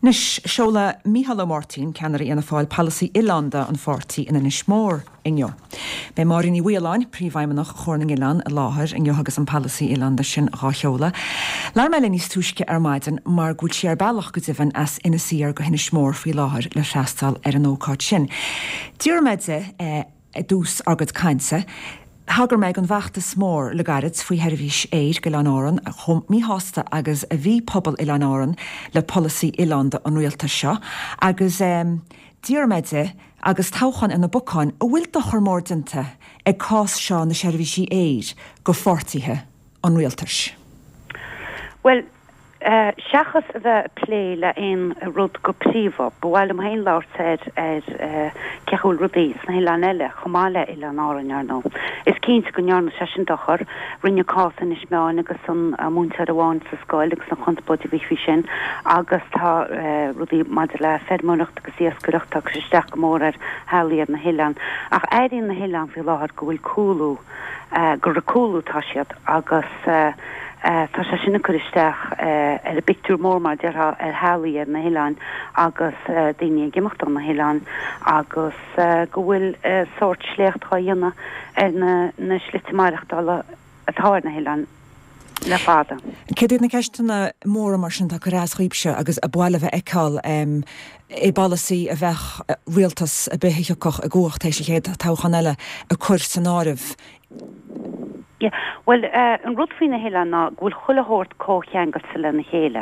Anois, seolfaidh Micheál Ó Máirtín, ceannaire Fhianna Fáil, polasaí oileánda an pháirtí in Inis Mór inniu. Beidh Máire Ní Mhaoláin, Príomhfheidhmeannach Chomhar na nOileán, i láthair inniu agus an polasaí oileánda sin dhá sheoladh. Labhair mé léi níos túisce ar maidin mar go bhfuil sí ar bealach go deimhin as Inis Oírr go hInis Mór faoi láthair le freastal ar an ócáid sin. D'fhiafraigh mé di i dtús ár gcuid cainte. Thagair mé don bhfeachtas mór le gairid faoi sheirbhís aeir go Oileáin Árann, chomh míshásta agus a bhí pobal Oileáin Árann le polasaí oileánda an rialtais seo, agus d'fhiafraigh mé di, agus toghchán ar na bacáin, an bhfuil dochar mór déanta ag cás seo na seirbhísí aeir go pháirtithe an rialtais? Bhuel, Seachas a bheith ag plé le aon rud go príomha, ba mhaith liom féin labhairt ar ar cén chaoi a bhfuil rudaí sna hoileáin eile, chomh maith le Oileán Árainn, ar ndóigh. Is cinnte go ndearna sé sin dochar. Rinne cás Inis Meáin agus an múinteoir amháin sa scoil agus an chonspóid a bhí faoi sin agus tá rudaí maidir le feirmeoireacht agus iascaireacht, tá ag cur isteach go mór ar theaghlaigh ar na hoileáin. Ach airíonn na hoileáin faoi láthair go bhfuil cúlú, gur ag cúlú atá siad agus tá sé sin ag cur isteach ar an bpictiúr mór, mar a déarfá, ar theaghlaigh ar na hoileáin agus daoine ag imeacht ó na hoileáin agus go bhfuil sórt sléacht á dhéanamh ar na slite maireachtála atá ar na hoileáin le fada. Céard iad na ceisteanna móra mar sin atá ag cur as dhaoibhse agus a ba mhaith libh a fheiceáil i bpolasaí a bheadh rialtas ar bith a thiocfadh i gcumhacht tar éis an chéad toghchán eile ag cur san áireamh? Yeah. Bhuel, an rud faoi na hoileáin ná go bhfuil chuile shórt comhcheangailte lena chéile.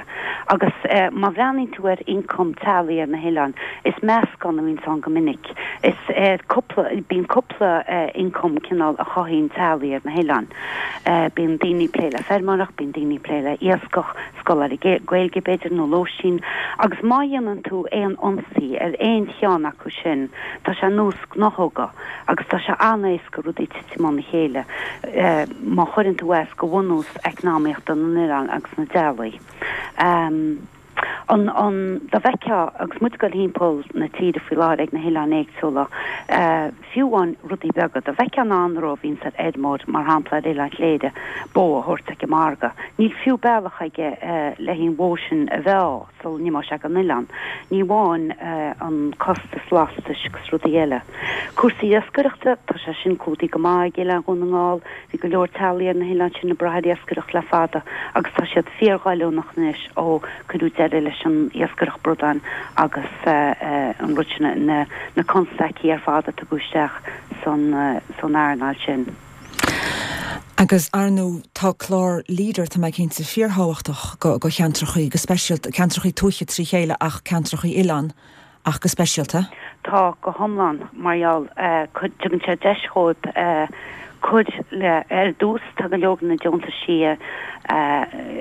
Agus má bhreathnaíonn tú ar ioncam teaghlaigh ar na hoileáin, is meascán a bhíonns ann go minic. Is cúpla, bíonn cúpla ioncam cineál a chothaíonn teaghlaigh ar na hoileáin. Bíonn daoine ag plé le feirmeoireacht, bíonn daoine ag plé le iascach, scoláirí Gaeilge b'fhéidir nó lóistín. Agus má dhéanann tú aon ionsaí ar aon cheann acu sin, tá sé ar nós gnáthóga. Agus tá sé an-éasca rudaí titim óna chéile má chuireann tú as go bhunús eacnamaíochta na n-oileán agus na dteaghlaigh. An, an, dá bhfeicfeá, agus muid ag dul thimpeall na tíre faoi láthair ag na hoileáin éagsúla, fiú amháin rudaí beaga, dá bhfeicfeá an anró a bhíonns ar fheirmeoir, mar shampla ar Oileán Chléire, bó a thabhairt ag an margadh, níl fiú bealach aige le an bhó sin a mheá. sula n-imeoidh sé gon oileán, ní amháin an costas lastais agus rudaí eile. Cúrsaí iascaireachta, tá sé sin clúdaithe go maith ag Oileán Dhún na nGall, bhí go leor teaghlaigh ar na hoileáin sin ag brath ar iascaireacht le fada agus tá siad fíorghoilliúnach anois ó cuireadh deireadh leis an iascaireacht bradáin agus an rud sin, na constaicí ar fad a tugadh isteach san earnáil sin. Agus, ar ndóigh, tá clár Leader, tá mé cinnte, fíorthábhachtach go cheantrachaí, go speisialta, ceantrachaí tuaithe trí chéile ach ceantrachaí oileán ach go speisialta. Tá, go hiomlán, mar gheall, tugann sé deis dhóibh cur le, ar dtús, tá go leor de na deontaisí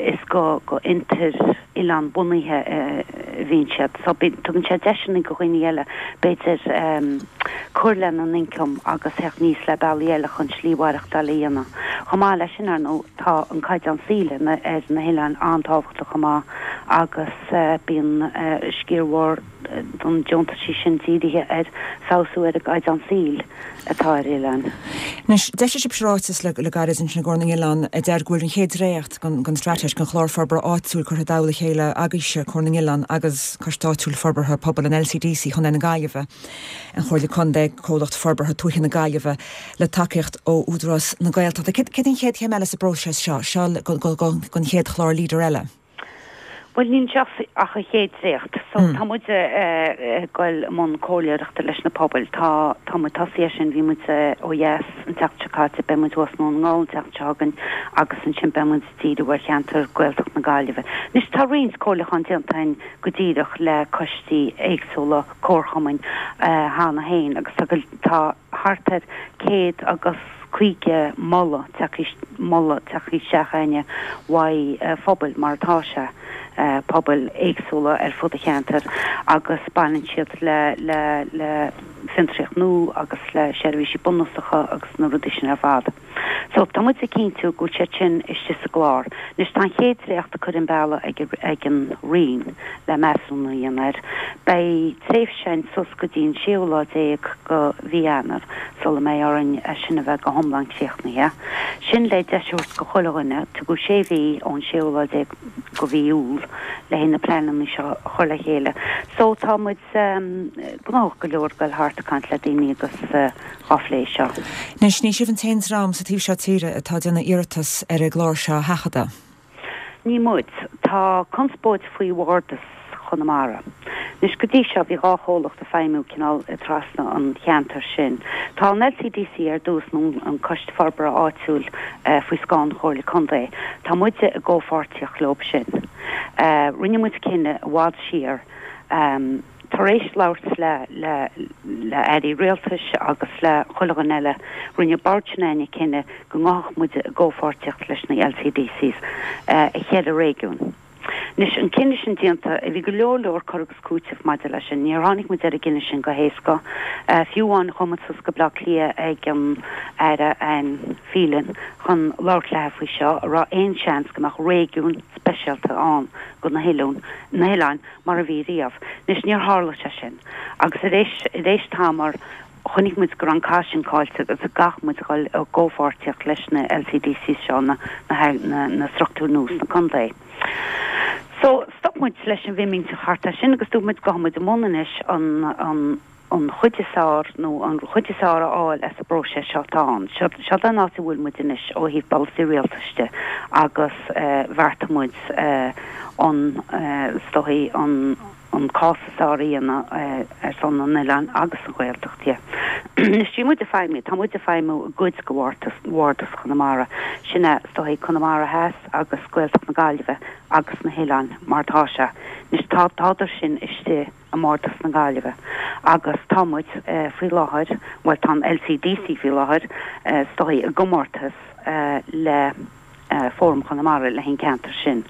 is go fhiontair oileán bunaithe a bhíonn siad. So tugann sé deiseanna go dhaoine eile b'fhéidir cur lena n-ioncam agus theacht aníos le bealaí eile chun slí mhaireachtáil a dhéanamh. Chomh maith leis sin, ar ndóigh, tá an caighdeán saoil ar na hoileáin an-tábhachtach chomh maith agus bíonn sciar mhór den deontaisí sin dírithe ar feabhsú ar an gcaighdeán saoil. atá ar oileáin. Anois, d'eisigh sibhse ráiteas le gairid ansin i gComhar na nOileán a deir go bhfuil an chéad dréacht den straitéis, den chlár forbartha áitiúil curtha i dtoll a chéile agaibhse, Comhar na nOileán agus Coiste Áitiúil Forbartha Pobail an LCDC Chontae na Gaillimhe, an Chomhairle Contae, Comhlacht Forbartha Tuaithe na Gaillimhe, le tacaíocht ó Údarás na Gaeltachta. Céard an chéad chéim eile sa bpróiseas seo, seo don chéad chlár Leader eile? Bhuel, níl anseo ach an chéad dréacht. So, tá muid ag goil i mbun comhairleoireachta leis na pobail. Tá, tá muid tosaithe air sin, bhí muid ó dheas an tseachtain seo caite, beidh muid thuas i nDún na nGall an tseachtain seo chugainn agus ansin beidh muid ag díriú ar cheantar Gaeltacht na Gaillimhe. Anois, tá roinnt comhairliúchán déanta againn go díreach le coistí éagsúla comharchumainn cheana féin agus tá, tá thart ar 150 moladh tagtha, moladh tagtha isteach againne uaidh phobail mar atá sé, pobail éagsúla ar fud an cheantair agus baineann siad le, le, le fiontraíocht nua agus le seirbhísí bunúsacha agus na rudaí sin ar fad. So tá muid ag cinntiú go bhfuil siad sin istigh sa gclár. Anois tá an chéad dréacht curtha an bealach ag, ag an Roinn le measúnú a dhéanamh air. Beidh tréimhse againn suas go dtí an séú lá déag go mhí Eanáir sula mbeidh orainn é sin a bheith go hiomlán críochnaithe. Sin le deis a thabhairt go chuile dhuine. Tugadh sé mhí ón séú lá déag go mhí Iúil le haghaidh na pleananna seo a chur le chéile. So tá muid gnóthach go leor ag dul thart ag caint le daoine agus dhá phlé seo. Anois, ní sibh an t-aon dream sa taobh seo tíre atá ag déanamh iarratas ar an gclár seo a sheachadadh. Ní muid. Tá conspóid faoi Bhardas Chonamara. Anois, go dtí seo, bhí dhá chomhlacht ag feidhmiú cineál trasna an cheantair sin. Tá an LCDC ar dtús, nó an Coiste Forbartha Áitiúil, faoi scáth an Chomhairle Contae. Tá muide i gcomhpháirtíocht leob sin. Rinne muid cinneadh i bhfad siar, tar éis labhairt le le le airí rialtais agus le chuile dhuine eile, rinne bord s'againne cinneadh go ngabhfadh muid i gcomhpháirtíocht leis na LCDCs i cheithre réigiún. Anois, an cinneadh sin déanta, bhí go leor leor cur agus cúiteamh maidir leis sin. Níor tháinig muid ar an gcinneadh sin go héasca. Fiú amháin chuaigh muid suas go Bleá Cliath ag an Aire Anne Phelan chun labhairt léi faoi seo, an raibh aon seans go mbeadh réigiún speisialta ann do na hoileáin, na hoileáin mar a bhí riamh. Anois, níor tharla sé sin. Agus ar éis, ar éis tamaill, chonaic muid go raibh an cath sin caillte agus go gcaithfeadh muid a dhul i gcomhpháirtíocht leis na LCDCs seo, na, na, na, na struchtúir nua sna contae. So, stop muid leis an bhfimínteacht thart air sin agus dúirt muid gabhfaidh muid i mbun anois an, an, an chuid is fearr nó an chuid is fearr a fháil as an bpróiseas seo atá ann. Seo, seo an áit a bhfuil muid anois ó thaobh polasaí rialtais de agus bheartaigh muid an, is dóigh, an, an cás is fearr a dhéanamh ar son na n-oileán agus an Ghaeltacht de. Anois bhí muid ag feidhmiú, tá muid ag feidhmiú i gcuid de bhardas, bhardas Chonamara, sin é is dóigh Conamara Theas agus Gaeltacht na Gaillimhe agus na hoileáin mar atá sé. Anois tá, tádar sin istigh i mbardas na Gaillimhe agus tá muid faoi láthair, bhuel tá an LCDC faoi láthair is dóigh i gcomórtas le Fóram Chonamara le haghaidh an ceantar sin.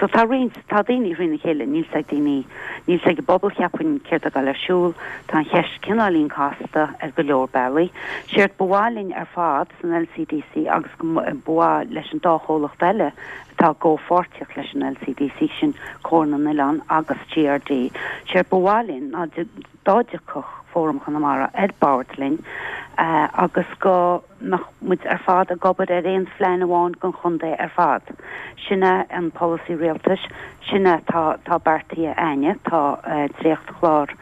So tá roinnt, tá daoine thrína chéile, níl 's ag daoine, níl 's ag an bpobal cheapfainn céard atá ag dul ar siúl, tá an cheist cineáilín casta ar go leor bealaí. Séard ba mhaith linn ar fad san LCDC agus go ba mhaith leis an dá chomhlacht eile atá i gcomhpháirtíocht leis an LCDC, sin Comhar na nOileán agus GRD, séard ba mhaith linn ná dá dtiocfadh Fóram Chonamara ar bord linn agus go mbeadh muid ar fad ag obair ar aon phlean amháin don chontae ar fad. Sin é an polasaí rialtais, sin é tá tá beartaithe a'inne, tá dréachtchlár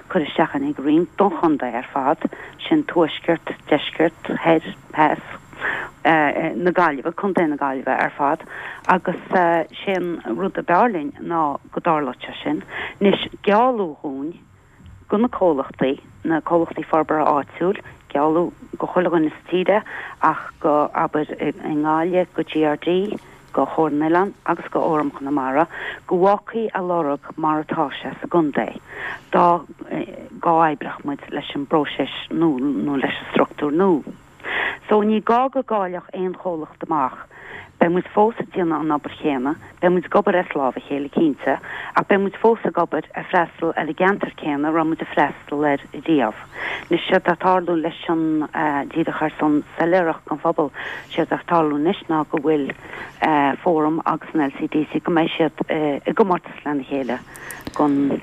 curtha isteach a'inn ag an Roinn don chontae ar fad, sin tuaisceart, deisceart, thoir, theas na Gaillimhe, Contae na Gaillimhe ar fad agus sé an rud ab fhearr linn ná go dtarlódh sé sin. Anois, gealladh dhúinn go na comhlachtaí, na comhlachtaí forbartha áitiúil, gealladh go chuile dhuine sa tír é ach go, abair, i nGaillimh, go GRD, go Chomhar na nOileán agus go Fhóram Chonamara, go bhfágfaí a lorg mar atá sé sa gcontae dá gcomhoibreodh muid leis an bpróiseas nua nó leis an struchtúr nua. So ní gá go gcaillfeadh aon chomhlacht amach. Beidh muid fós ag déanamh an obair chéanna, beidh muid ag obair as lámh a chéile cinnte, ach beidh muid fós ag obair ag freastal ar an gceantar céanna a raibh muid ag freastal air riamh. Anois séard atá ag tarlú leis an, díreach ar son soiléireacht don phobal, séard atá ag tarlú anois ná go bhfuil Fóram agus an LCDC, go mbeidh siad i gcomórtas lena chéile don.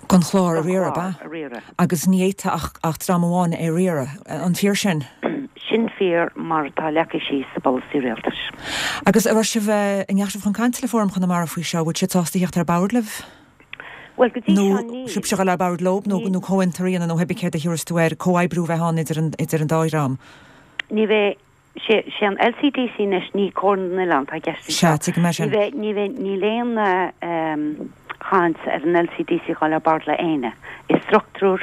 Don chlár a riaradh, ab ea? Agus ní fhéadfadh ach dream amháin é a riaradh. An fíor sin? Sin fíor, mar atá leagtha síos sa bpolasaí rialtais. Agus an raibh sibh, an ndeachaigh sibh chun cainte le Fóram Chonamara faoi seo? Bhfuil siad sásta theacht ar bord libh? Bhuel, go dtí seo níl. Nó sibhse a dhul ar bord leo, nó comhfhiontar a dhéanamh, nó pé céard a thiúrfas tú air, comhoibriú a bheith ann idir an, idir an dá dhream? Ní bheidh. Sé an LCDC anois, ní Comhar na nOileán atá i gceist anseo. Sea, tuigim é sin. Ní bheidh, ní bheidh, níl aon chaint ar an LCDC dhul ar bord le éinne. Is struchtúr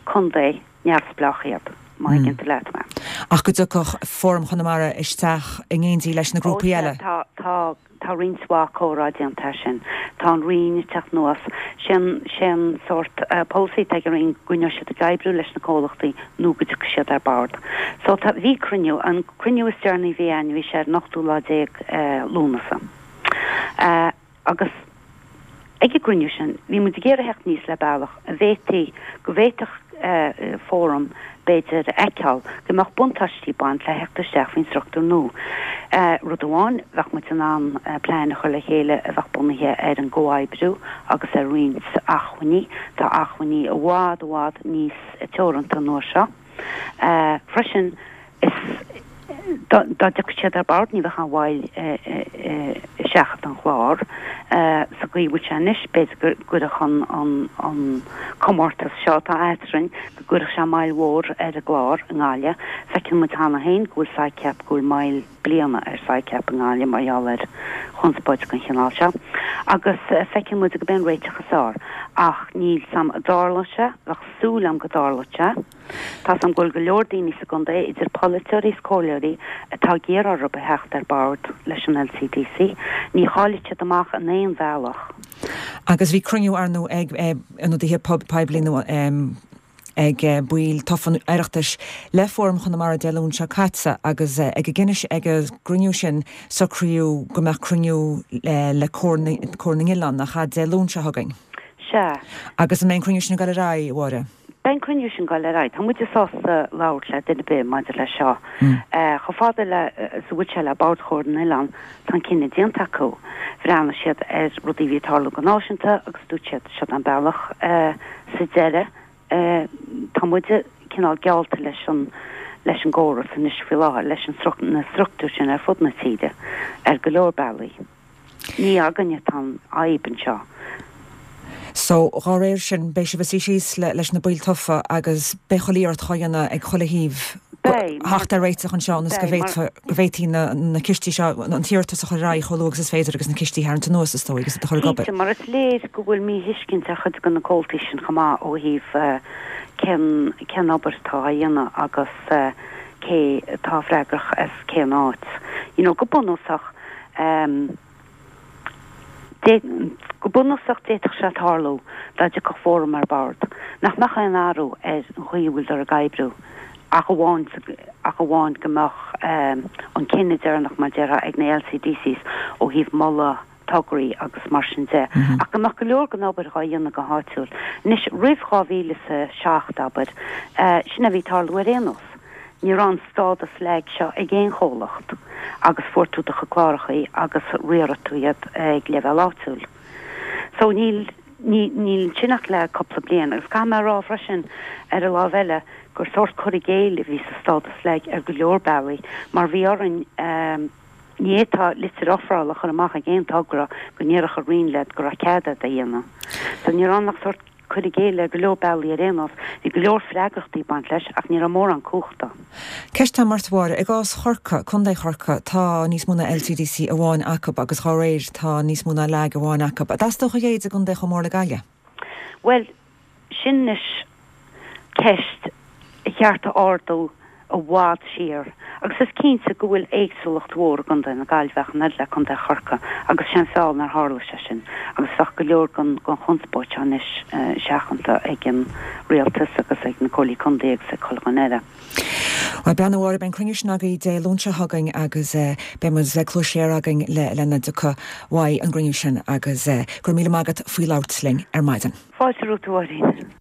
contae neamhspleách iad, má thuigeann tú leat mé. Ach go dtiocfadh Fóram Chonamara isteach in éindí leis na grúpaí eile? Ó sea, tá, tá. Tá roinnt mhaith comhrá déanta air sin. Tá an Roinn ag teacht anuas. Sé an, sé an sórt polasaí atá ag an Roinn go gcoinneoidh siad ag oibriú leis na comhlachtaí nó go dtiocfaidh siad ar bord. So tá, bhí cruinniú, an cruinniú is deireanaí a bhí a'inn, bhí sé ar an ochtú lá déag Lúnasa. Agus ag an gcruinniú sin, bhí muid ag iarraidh theacht aníos le bealach a bhféadfaí, go bhféadfadh Fóram. b'fhéidir, a fheiceáil go mbeadh buntáistí ag baint le theacht isteach faoin struchtúr nua. Rud amháin, bheadh muid in ann plean a chur le chéile a bheadh bunaithe ar an gcomhoibriú agus ar roinnt acmhainní. Tá acmhainní i bhfad, i bhfad níos teoranta an uair seo. Freisin, is dá dtiocfadh siad ar bord, ní bheadh aon mhoill i seachadadh an chláir. Sa gcaoi a bhfuil sé anois, b'fhéidir go gcuirfeadh an comórtas seo atá eadrainn, go gcuirfeadh sé moill mhór ar an gclár i nGaillimh. Feiceann muid cheana féin go bhfuil SICAP, go bhfuil moill bliana ar SICAP i nGaillimh mar gheall ar chonspóid den chineál seo. Agus feiceann muid gurb é an réiteach is fearr. Ach níl 's a'm an dtarlóidh sé, bheadh súil a'm go dtarlódh sé. Tá 's a'm go bhfuil go leor daoine sa gcontae, idir polaiteoirí is comhairleoirí, atá ag iarraidh orthu a theacht ar bord leis an LCDC. Ní chaillfidh siad amach in aon bhealach. Agus bhí cruinniú, ar ndóigh, ag ionadaithe poiblí nó ag baill tofa an Oireachtais le Fóram Chonamara Dé Luain seo caite agus ag an gcruinniú sin socraíodh go mbeadh cruinniú le Comhar na nOileán, nach ea, Dé Luain seo chugainn. Sea. Agus an mbeidh an cruinniú sin ag dul ar aghaidh, a Mháire? Beidh an cruinniú sin ag dul ar aghaidh. Tá muide sásta labhairt le duine ar bith maidir leis seo. Chomh fada le is a bhfuil sé le Bord Chomhar na nOileán, tá an cinneadh déanta acu. Bhreathnaigh siad ar rudaí a bhí ag tarlú go náisiúnta agus dúirt siad, seod an bealach sa deireadh. Tá muide cineál geallta leis an leis an gcóras anois faoi láthair, leis an na struchtúir sin ar fud na tíre ar go leor bealaí. Ní againne atá an fhadhb anseo. So, dhá réir sin, beidh sibh ag suí síos leis na baill tofa agus beidh chuile iarracht dhá dhéanamh ag chuile thaobh theacht ar réiteach anseo ionas go bhféadfaí na cistí seo, an t-iarratas a chur ar aghaidh chomh luath agus is féidir agus na cistí a tharraingt anuas, is dóigh, agus iad a chur ag obair. Cinnte, mar is léir go bhfuil míthuiscint ar chuid de na comhaltaí sin chomh maith ó thaobh cén cén obair atá á dhéanamh agus cé atá freagrach as cén áit. You know, go bunúsach, Go bunúsach d'fhéadfadh sé tarlú, dá dtiocfadh Fóram ar bord, nach mbeadh aon athrú ar an chaoi a bhfuiltear ag oibriú ach amháin ach amháin go mbeadh an cinneadh deireanach, mar déarfá, ag na LCDCs ó thaobh moladh tograí agus mar sin de, ach go mbeadh go leor den obair dhá dhéanamh go háitiúil. Anois, roimh 2007, abair, sin a bhí ag tarlú ar aon nós. Ní raibh an stádas lag seo ag aon chomhlacht agus fuair tú do chuid clárachaí agus riarfaidh tú iad ag leibhéal áitiúil. So níl, ní, níl ansin ach le cúpla bliain. Agus caithfidh mé a rá freisin, ar an lámh eile, gur sórt cur i gcéill a bhí sa stádas lag ar go leor bealaí mar bhí orainn, ní fhéadfá litir ofrála a chur amach ag aon togra go ndéarfadh an Roinn leat go raibh cead agat é a dhéanamh. So ní raibh ann ach sórt cur i gcéill ar go leor bealaí ar aon nós. Bhí go leor freagrachtaí ag baint leis ach ní raibh mórán cumhachta. Ceist agam ort, a Mháire. I gcás Chorcaí, Contae Chorcaí, tá níos mó ná LCDC amháin acu agus dhá réir tá níos mó ná lag amháin acu. An dteastódh a leithéid i gcontae chomh mór le Gaillimh? Bhuel, sin anois ceist ba cheart a ardú i bhfad siar agus is cinnte go bhfuil éagsúlacht mhór i gContae na Gaillimhe ach an oiread le Contae Chorcaí agus sé an feall nár tharla sé sin agus bheadh go leor den chonspóid seo anois seachanta ag an rialtas agus ag na comhairlí contae agus ag chuile dhuine eile. Bhuel, bean a Mháire, beidh an cruinniú sin agaibh Dé Luain seo chugainn agus beidh muid le cluas siar againn lena dtiocfaidh uaidh an gcruinniú sin agus go raibh míle maith agat faoi labhairt linn ar maidin. Fáilte romhat, a Mháirín.